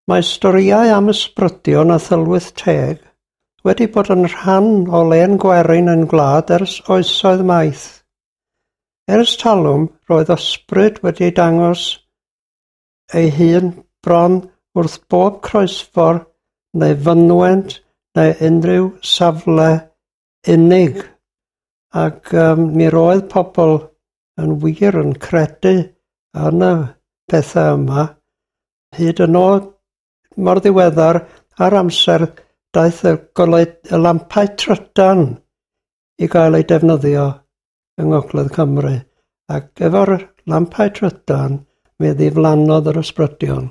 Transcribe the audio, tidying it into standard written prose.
Mae storïau am ysbrydion a thylwyth teg wedi bod yn rhan o lên gwerin ein gwlad ers oesoedd maith. Ers talwm, roedd ysbryd wedi dangos ei hun bron wrth bob croesffordd neu fynwent neu unrhyw safle unig. Ac mi roedd pobl yn wir yn credu yn y pethau yma. Hyd yn oed mor ddiweddar ar amser daeth y, golau, y lampau trydan i gael eu defnyddio yng Ngogledd Cymru. Ac efo'r lampau trydan, mi ddiflannodd yr ysbrydion.